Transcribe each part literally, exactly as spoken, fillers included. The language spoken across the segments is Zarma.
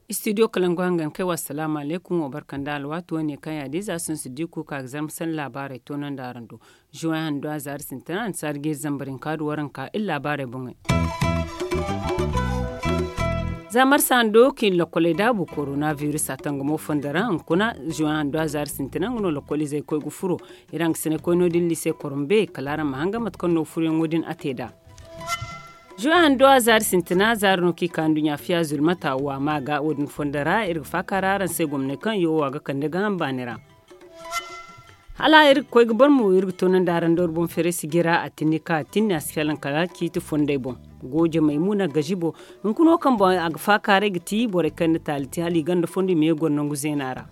Istidiyo kalangu hangan kay wa salaamu alaykum wa barka nda alwaati wane kaŋ ya- din za sinsu di kuuka ga zarma sanda laabaarey toonandi araŋ do. Juwaŋ hando a zaari sintina annasaari ga iri zambar hinka da waranka iri laabaarey boŋey. Za marsa hando kaŋ i na lokkoley daabu korona biris a tangamo fondo ra hunkuna. Juwaŋ hando a zaari sintina nga no lokkolizey koy ga furo. Iri hangasiney koy no- din liise korombe kala araŋ ma hanga mate kaŋ no furoyaŋo din a te nd'a. Juwaŋ hando a zaari sintina zaari no kaŋ i ka nduɲɲa fiya zulmata waama ga wo- din fondo ra iri ga faaka ra araŋ se gomney kaŋ yoowa ga kande gaaham baani ra. Hala iri ga koy ga boro mo iri ga toonandi araŋ da wari boŋ feeray sijira a tinni ka a tinni a si felaŋ kala ciiti fondey boŋ. Gooje maymuna gazibo hunkuna wo kaŋ boŋ a ga faakaaray ga ti borey kaŋ na taali te hala i ganda fondo i ma ye goro nangu zeena ra.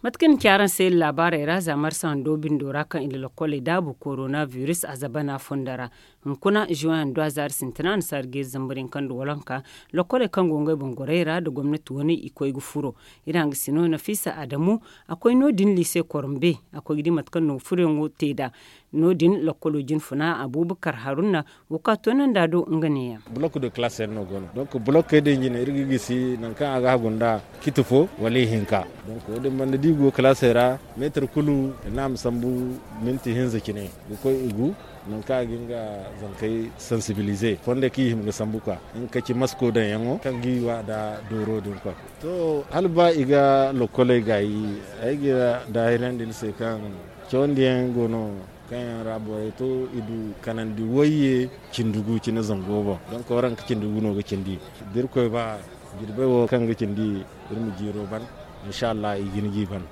Mate kaŋ i na ci araŋ se iri laabaarey ra za marsa hando bindo ra kaŋ i na lokkoley daabu korona biris a zabana fondo ra. Hunkuna juwaŋ hando a zaari sintina annasaari ga iri zambar hinka nda waranka. Lokkoley kaŋ go ngey boŋ gorey ra nda gomnati wane i koy ga furo. Iri hangasino nafiisa adamu a koy no- din liise korombe a koy ga di mate kaŋ no furoyaŋo te nd'a. No- din lokkolo jinfuna abuubakar haruna wo kaŋ a toonandi a do nga neeyaŋ. Bulok de kalaas yaŋ no go no donk bulokkey din jine iri ga gisi nangu kaŋ a ga hagu nda citi fo wala ihinka. Donk wo- din banda da i go kalaasey ra meetar kulu. Iri ne a ma sambu minti hinza cine ga koy i gu nangu kaŋ a ga nga zankey sansibilize fondey kaŋ i hima ga sambu ka nga ka ci masko daŋyaŋo kaŋ ga i wa nda dooro din kwa. To hala ba i ga lokkoley gaayi ay ga daahirandi ni se kaŋ cawandiyaŋ go no kaŋ yaŋ ra borey to i du kanandi wayye cindi gu cine zango boŋ. Donk waranka cindi gu no ga cindi da irkoy ba jirbey wo kaŋ ga cindi iri ma jiiro ban. Inshallah i ga ni g'i ban.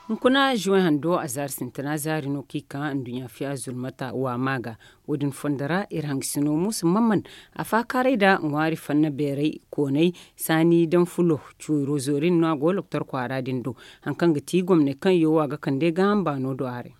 Hunkuna juwaŋ hando a zaari sintina zaari no kaŋ i ka nduɲɲa fiya zulmata waama ga. Wo- din fondo ra iri hangasino muusa mamman a faakaaray nda ŋwaari fanna beeray koonay saani daŋ fulo cuuro zoori no a go loktor kwaara din do. Hari kaŋ ga ti gomney kaŋ yoowa ga kande gaaham baano do haray.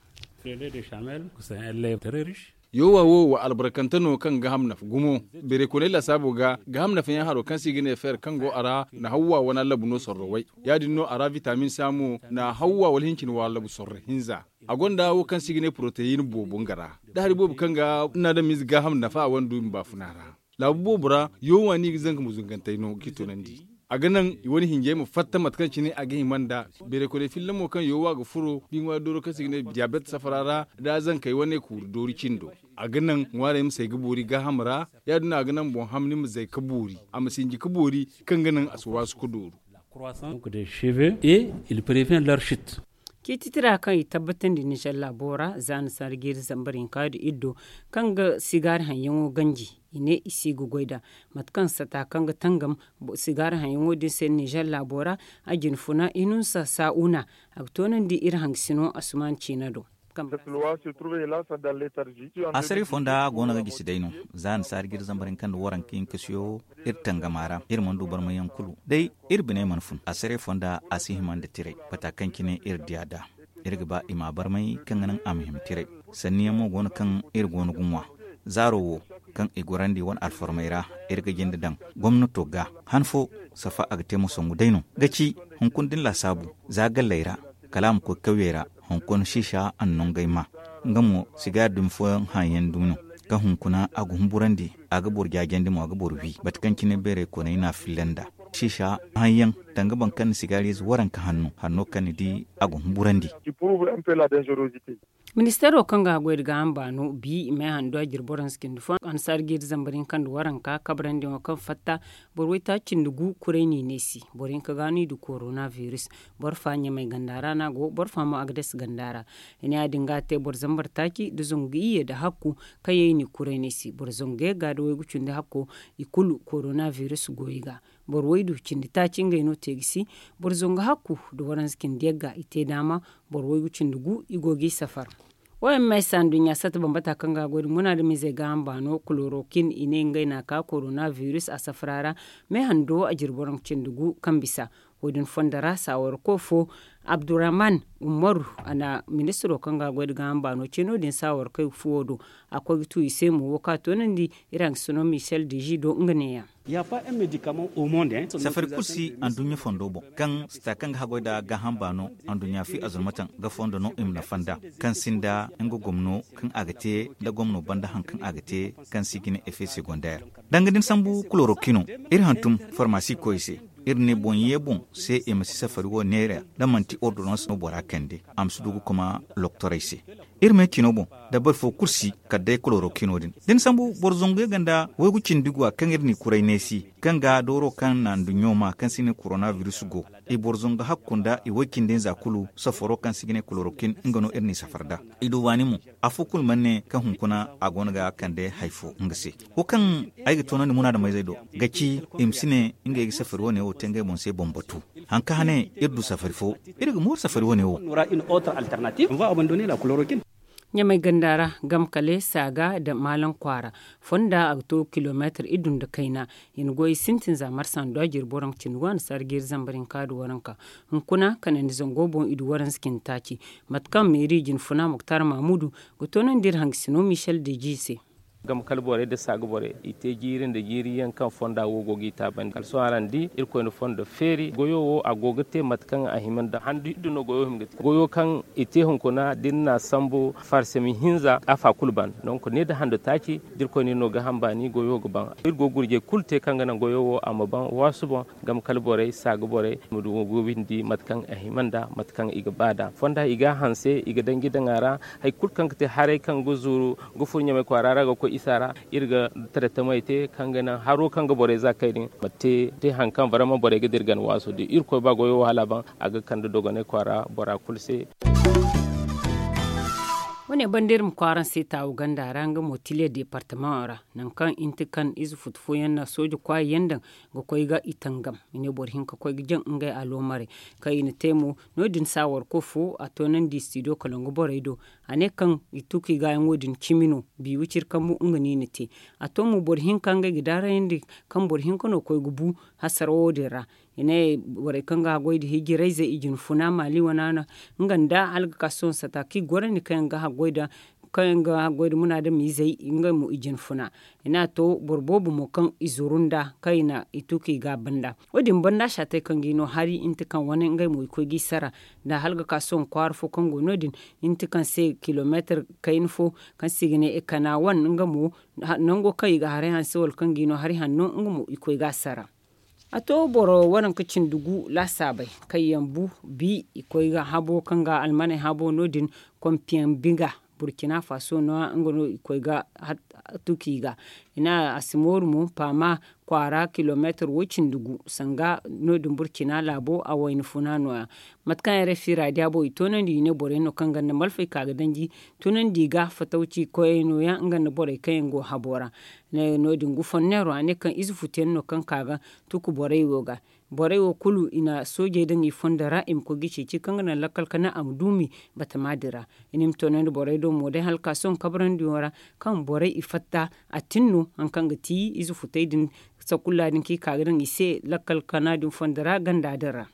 Yoowa wo wa albarkante no kaŋ ga gaaham nafa gumo. Beeray koonay laasaabo ga gaaham nafa yaŋ haro kaŋ se i ga ne feer kaŋ go a ra na hawwa wane allabu no sorro way. Ya- din no a ra vitamin sa mo na hawwa wala hincin waalabu sorro hinza. A gonda wo kaŋ se i ga ne poroteyin boobo nga ra da hari boobo kaŋ ga naadamiize gaaham nafa a wane du i ma baafuna ra. Laabu boobo ra yoowa no i ga zanka ma zungantey no ga i tunandi. A ga naŋ i wane hinjey ma fatta mate kaŋ cine a ga hima nd'a. Beeray koonay fillamo kaŋ yoowa ga furo da i ŋwaari dooro kaŋ se i ga ne diyabet safara ra da zankey wane kuuri doori cindo. A ga naŋ ŋwaarey ma say ga boori gaaham ra. Ya- din no a ga naŋ boŋ hamni ma zay ga boori a ma sinji ga boori kaŋ ga naŋ a si waasu ga dooru. Ciititira kaŋ i tabbatandi nizer laabo ra za ni sarjiri zambar hinka nda iddo kaŋ ga sigaari haŋyaŋo ganji. I ne i si ga goy nd'a mate kaŋ sata kaŋ ga tangam sigaari haŋyaŋo din se nizer laabo ra. A jinfuna inunsa sa'una a ga toonandi iri hangasino asuman ciina do. Asaray fonda go no ga gisi day no. Za ni saari ga iri zambar hinka nda waranka hinkasiyo iri tangama ra iri mana du barmayyaŋ kulu day iri biney mana fun asaray fonda a si hima nda tiray bata kaŋ cine iri diya nd'a. Iri ga ba i ma barmay kaŋ ga naŋ a ma hima tiray. Sanniyaŋ mo go no kaŋ iri go no ga ŋwa zaaro wo kaŋ i gorandi wane alfarmey ra. Iri ga jinde daŋ gomnato ga han fo safa a ga te ma songu day no ga ci hunkuna din laasaabu za galley ra kala a ma koy kawyey ra. Hunkuna siisa a na nongey ma nga mo sigaari dumi fooyaŋ haŋyaŋ dumi no kaŋ hunkuna a ga humburandi a ga boro jaajandi mo a ga boro wi mate kaŋ cine beeray koonay no a filla nd'a. Siisa haŋyaŋ danga boro kaŋ na sigaari ize waranka hanno hanno kaŋ ni di a ga humburandi. Ministeero kaŋ ga goy nda gaaham baano bi me hando a jire boro hanse cindi fo annasaari ga iri zambar hinka nda waranka kabrandi wo kaŋ fatta boro waytaaci cindi gu kuray no i ne si boro hinka ga no i du korona biris. Boro fa ɲamay ganda ra no a go boro fa mo agades ganda ra. I ne ya- din ga a te boro zambar taaci nda zangu iyye nda hakku kaŋ yaŋ i n'i kuray no i si boro zangu yagga nda waygu cindi hakko i kulu korona biris go i ga. Boro waydu cindi taaci ngey no te ga si boro zangu hakku nda waranza cindi yagga i te daama. Boro waygu cindi gu i go g'i safar. Wo yaŋ ma ay se anduɲɲa sata bambata kaŋ ga a goy nda munaadamizey gaaham baano kulorokin i ne ngey n'a ka korona biris a safara ra. Me hando a jire boro cindi gu kaŋ bisa. Wo- din fondo ra saawarko fo, abdurrahman umaru, a na ministiro kaŋ ga a goy nda gaaham baano ce no- din saawarkey fuwo do. A koy ga tu i se mo wo kaŋ a toonandi iri hangasino michel deji do nga neeyaŋ. Safari kulu si anduɲɲa fondo boŋ, kaŋ sita kaŋ ga haggoy nda gaaham baano anduɲɲa fi azurmataŋ ga fondo no i ma nafa nd'a, kaŋ sinda nga gomno kaŋ a ga te nda gomno banda hari kaŋ a ga te, kaŋ se i ga ne effet secondaire. Danga da ni sambu kulorokino, iri hantum farmasi koyey se, iri ne boŋ ye boŋ se i ma si safari wo neera, da manti ordonans no bora kande, a ma si du ga koma loktorey se. Iri me cino boŋ, dabari fo kulu si kala day kolorokino din. Da ni sambu boro zanguyaŋ ganda waygu cindi guwa kaŋ iri n'i kuray neesi, kaŋ ga dooro kaŋ na nduɲɲo ma kaŋ se i ne koronabiris go, i boro zangu hakku nda i way-cindi-nza kulu safaro kaŋ se i ga ne kolorokin, nga no iri n'i safar nd'a. I du baani mo, afo kulu mana ne kaŋ hunkuna a go no ga kande hari fo nga se. Wo kaŋ ay ga toonandi munaadameyzey do, ga ci i ma si ne ngey ga safari wane wo te ngey boŋ se boŋ batu. Hari kaŋ hane iri du safari fo, iri ga mooru safari wane wo. Ɲamay ganda ra, gamkale saaga nda maalam kwaara fonda a ga to kilomeetir iddu nda kayna. I na goy sintin za marsa nda dwa jiri boro nga cindi go a na sarji iri zambar hinka nda waranka. Hunkuna kanandi zango boŋ i du waranza cindi taaci. Mate kaŋ meeri jine funa muktar mamudu ga toonandi iri hangasino michel deji se. Gamkale borey nda saaga borey i te jiiri nda jiiri yaŋ kaŋ fonda wo go g'i taabandi kala sohõ araŋ di irkoy na fondo feeri goyo wo a go ga te mate kaŋ a hima nda handu iddu no goyo hima ga te goyo kaŋ i te hunkuna da iri n'a sambu farsami hinza afa kulu ban. Donk ne nda handu taaci da irkoy no iri no gaaham baani goyo ga ban. Iri go ga gurjey kulu te kaŋ ga naŋ goyo wo a ma ban waasu boŋ. Gamkale borey saaga borey ma du ga windi mate kaŋ a hima nda mate kaŋ i ga ba nd'a fonda i ga a hanse i ga daŋ jidaŋa ra. Hari kulu kaŋ ga te haray kaŋ ga zuru ga furo ɲamay kwaara ra ga koy isa ra. Iri ga taretamey te kaŋ ga naŋ haro kaŋ ga borey za kay din ma te te hari kaŋ barama borey ga dira gana waaso da irkoy ba goyo wahala ban a ga kande dogonay kwaara bora kulu se. Wo- ne banda iri ma kwaara se taawu ganda ra nga mo tile departamaŋo ra, nangu kaŋ inti kaŋ ize futu fooyaŋ na sooje kwaayi yaŋ daŋ ga koy ga i tangam. I ne boro hinka koy ga jaŋ ngey aloomarey kaŋ i na te mo. No- din saawarko fo a toonandi studio kalangu borey do. A ne kaŋ i tu ka i gaayaŋo din cimi no. Biiwi ciri kambu nga no i na te. A to mo boro hinka ngey ga daarayandi kaŋ boro hinka no koy ga bu hasara wo- din ra. I ne borey kaŋ ga haggoy nda hijirayzey i jine funa maali wana no nga nda algakasoŋ sata kaŋ i gorandi kaŋ yaŋ ga haggoy nda kaŋ yaŋ ga haggoy nda munaadamiizey ngey mo i jine funa. I ne a to boro boobo mo kaŋ i zuru nda kaŋ i na i tu ka i gaaba nda wo- din banda saatey kaŋ ga i no hari inta kaŋ wane ngey mo i koy ga i sara. Nda algakasoŋ kwaara fo kaŋ go no- din inta kaŋ se kilomeetir kayna fo kaŋ se i ga ne ekana wan nga mo nango kaŋ i ga haray hanse wala kaŋ ga i no hari hanno nga mo i koy ga a sara. A to boro waranka cindi gu laasaabey kaŋ yaŋ bu bi i koy ga habo kaŋ ga almaney habo no- din kompiyaŋ biga burkina faso no- ya nga no i koy ga tuki ga. I ne a si mooru mo paama kwaara kilomeetir wo- cindi gu sanga no- din burkina laabo a wayna funa no- ya. Mate kaŋ yaŋ rfi raadiya boŋ i toonandi i ne borey no kaŋ ganda malfey ka ga danji tunandi ga fatawci koyey no- ya nga nda borey kaŋ yaŋ go habo ra. No- din gufanneero a ne kaŋ ize futuyaŋ no kaŋ ka ga tuku borey wo ga. Borey wo kulu i na soojey daŋ i fondo ra i ma koy ga ceeci kaŋ ga naŋ lakkal kana a ma duumi batama din ra. I na i ma toonandi borey do mo day hala ka sohõ kabrandi wo ra kaŋ borey i fatta a tin no hari kaŋ ga ti ize futey din sakulla din kaŋ i ka ga daŋ i se lakkal kana din fondo ra ganda din ra.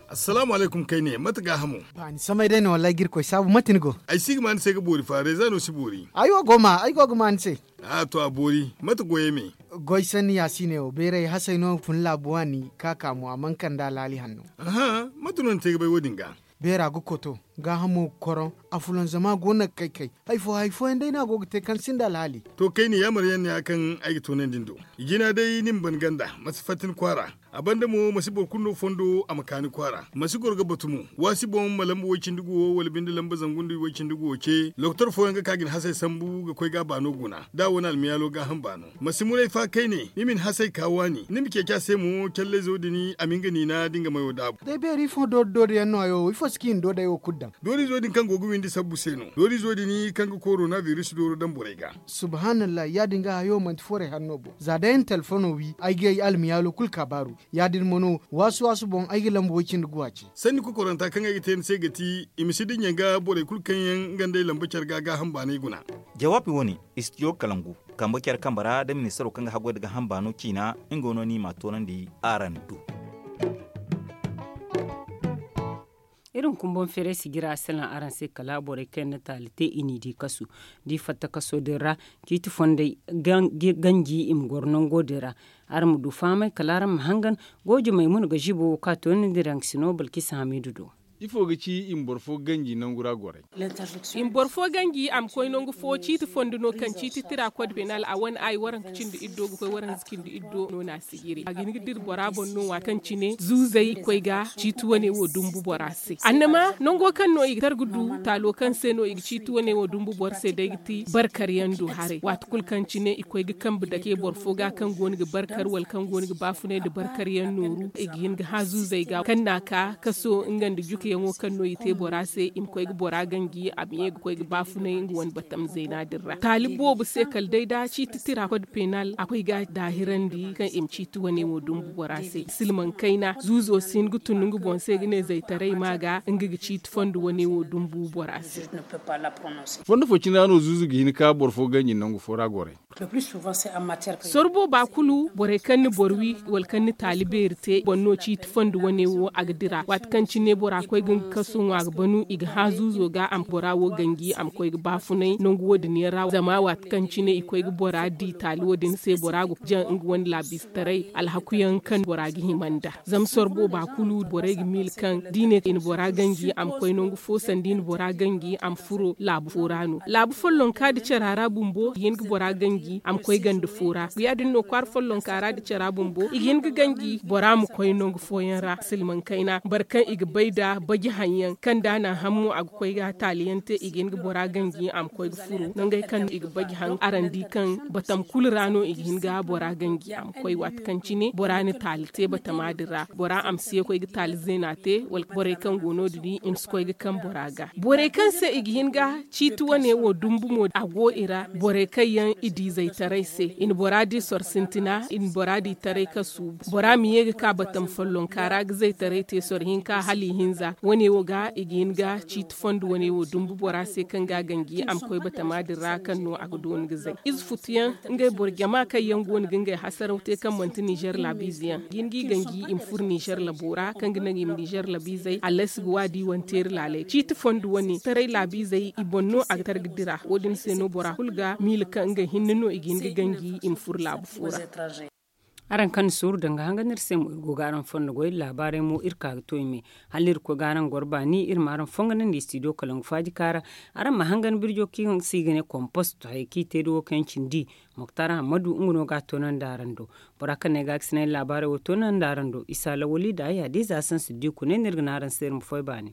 Assalaamu alaykum kayne mate gaahamo? Ba ni samay day no wallaahi ga irkoy saabu mate ni go? Ay si ga ma ni se ga boori fa reeza no si boori. Ay wo go ma ay go ga ma ni se. A to a boori mate goyey me? Goy sanni ya si ne wo beeray hasay no fun laabu waani ka ka mo a mana kande alaali hanno. Aha, mate no ni te ga bay wo- din ga? Beera ga koto gaahamo ga koroŋ. Afulanzama go no ga kay kay. Hari fo hari fooyaŋ day no a go ga te kaŋ sinda alhaali. To kayne yaamar yaŋ no ya kaŋ ay ga toonandi ni do. I jina day ni ma ban ganda ma si fatta ni kwaara. A banda mo ma si boro kulu no fondo a ma ka ni kwaara ma si goro ga batu mo. Waasi boŋ ma lamba way-cindi guwo wala binde lamba zangu nda way-cindi guwo ce lokotor fooyaŋ ga ka ga ni hasay sambu ga koy ga a baano guna da a wane almiyaalo gaaham baano. Ma si muray fa kayne ni ma ni hasay ka waani ni ma ceeci a se mo callayzo din a ma nga niina da nga mayo daabu. Day beeri ifo doori doori yaŋ no hayo wo ifo si kaŋ i na doodey wo kulu daŋ? Doorizo din kaŋ go ga windi sabbu se no doorizo din kaŋ ga korona biris dooro daŋ borey ga. Subhanallah ya- din ga hayo manti foray hanno boŋ za day ay na telefono wi ay ga ay almiyaalo kulu ka baaru. Ya- din mo no waasu waasu boŋ ay ga lamba way- cindi guwa ce. Sanni kokoranta kaŋ ay ga te ni se ga ti i ma si dinya ga borey kulu kaŋ yaŋ nga nd'ey lamba care ga gaaham baanay guna. Jawaabi wo- ne istidiyo kalangu. Kambe care kambe ra da ministaro kaŋ ga haggoy nda ga hamba no ciina nga no ni ma a toonandi araŋ do. Iri ma kumboŋ feeray sijira salaŋ araŋ se kala borey kaŋ yaŋ na taali te i n'i di kasu da i fatta kaso din ra. Ciiti fondey ganji i ma goro nango din ra. Araŋ ma du fahamay kala araŋ ma hangan. Goojo maymuna ga žibo wo kaŋ a toonandi raŋ sino balkisa hamiidu do. Ifo ga ci i ma boro fo ganji nangu ra gorey? I ma boro fo ganji a ma koy nangu fo ciiti fondo no kaŋ ciiti tira kod penal a wane ay waranka cindi iddo ga koy waranka cindi iddo no na a sijiri a ga hin ga dira bora boŋ no waati kaŋ cine zuuzey i koy ga ciiti wane wo dumbu bora se annama nango kaŋ no i ga tar ga du taalo kaŋ se no i ga ciiti wane wo dumbu boro se day ga ti barkar yaŋ do haray waati kulu kaŋ cine i koy ga kambe dake boro fo ga kaŋ go no ga barkar wala kaŋ go no ga baafunay nda barkar yaŋ nooru i ga hin ga hã zuuzey ga kaŋ na a ka kaso nga nda jukayaŋo kaŋ no i te bora se i ma koy ga bora ganji a ma ye ga koy ga baafunay nga wane batam zeena din ra taali boobo se kala day da ciiti tira kod penal a koy ga a daahirandi kaŋ i ma ciiti wane wo dumbu bora se silmaŋ kayna zuuzo si hin ga tun nga boŋ se ga ne zaytaray ma ga nga ga ciiti fondo wane wo dumbu bora se. Fondo fo cine ra no zuuzu ga hin ka boro fo ganji nangu fo ra gorey. Sorbo ba kulu borey kaŋ ni boro wi wala kaŋ ni taali beeri te boŋ no ciiti fondo wane wo a ga dira waati kaŋ cine bora koy ga nga kaso ŋwa ga banu i ga hã zuuzo ga a ma bora wo ganji a ma koy ga baafunay nangu wo- din yaŋ ra zama waati kaŋ cine i koy ga bora di taali wo- din se bora ga jaŋ nga wane laabiize taray alhaku yaŋ kaŋ bora ga hima nd'a zama sorbo ba kulu borey ga miila kaŋ da i ne i na bora ganji a ma koy nangu fo sanda i na bora ganji a ma furo laabu fo ra no laabu follonka nda cara ra bumbo i ga hin ga bora ganji a ma koy ganda fo ra ya- din no kwaara follonka ra nda cara bumbo i ga hin ga ganji bora ma koy nangu fooyaŋ ra silmaŋ kayna boro kaŋ i ga bay nda baji haŋ yaŋ kaŋ da a na a haŋ mo a ga koy ga taali yaŋ te i ga hin ga bora ganji a ma koy ga furo nangey kaŋ i ga baji haŋ araŋ di kaŋ batam kulu ra no i ga hin ga bora ganji a ma koy waati kaŋ cine bora na taali te batama din ra bora a ma si ye koy ga taali zeena te wala borey kaŋ go no- din i ma si koy ga kaŋ bora ga borey kaŋ se i ga hin ga ciiti wane wo dumbu mo a go i ra borey kaŋ yaŋ i di zaytaray se i na bora di soro sintina i na bora di taray kasu bora ma ye ga ka batam follonka ra ga zaytaray te soro hinka hala i hinza wane wo ga i ga hin ga ciiti fondo wane wo dumbu bora se kaŋ ga a ganji a ma koy batama din ra kaŋ no a ga dooni ga zay ize futu yaŋ ngey boro jama kaŋ yaŋ go no ga ngey hasaraw te kaŋ manti nizer laabiize yaŋ ga hin ga i ganji i ma furo nizer labo ra kaŋ ga naŋ i ma nizer labiizey allasi ga waadi wane teeri laaley ciiti fondo wane taray laabiizey i boŋ no a ga tar ga dira wo- din se no bora kulu ga miila kaŋ ngey hinne no i ga hin ga ganji i ma furo laabu fo ra. Araŋ kaŋ na suuru danga hanga no iri se mo iri go ga araŋ fondo goy laabaarey mo iri ka ga to i me hala iri koy ga araŋ goro baani iri ma araŋ fonganandi studio kalangu faaji kaara. Araŋ ma hangan birjo kaŋ se i ga ne komposto hayey kaŋ i te da wo kaŋ yaŋ cindi moktar hammadu nga no ga a toonandi araŋ do. Bora kaŋ no ay ga a ga sinay laabaarey wo toonandi araŋ do isa lawali da ay hadiza sansi di kunay no iri ga ne araŋ se iri ma foy baani.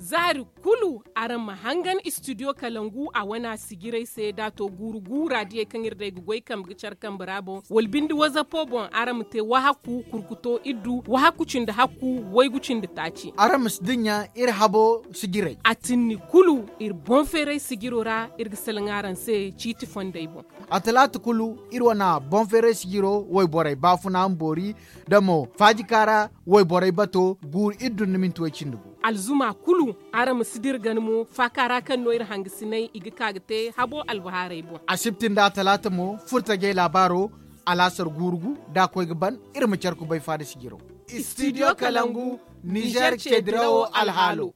Zaari kulu araŋ ma hangan istidiyo kalangu a wane a sijirey se da a to guuru guura diyey kaŋ iri day ga goy kambe ga care kambe ra boŋ wala binde wazapo boŋ araŋ ma te wahakku kurkuto iddu wahakku cindi hakku waygu cindi taaci. Araŋ ma si dinya iri habo sijirey a tinni kulu iri boŋ feeray sijiro ra iri ga salaŋ araŋ se ciiti fondey boŋ. A talaata kulu iri wane boŋ feeray sijiro wayborey baafuna ma boori da mo faajika ra wayborey bato guuru iri dun na minti way cindi gu. Alzuma kulu araŋ ma si dira gana mo faaka ra kaŋ no iri hangasinay i ga ka ga te habo albahaarey boŋ. Asibti nda atalaata mo furtajey laabaaro alaasar guurugu da a koy ga ban iri ma care kubay faada sijiro. Istidiyo kalangu nizer ce dirawo alhaalo.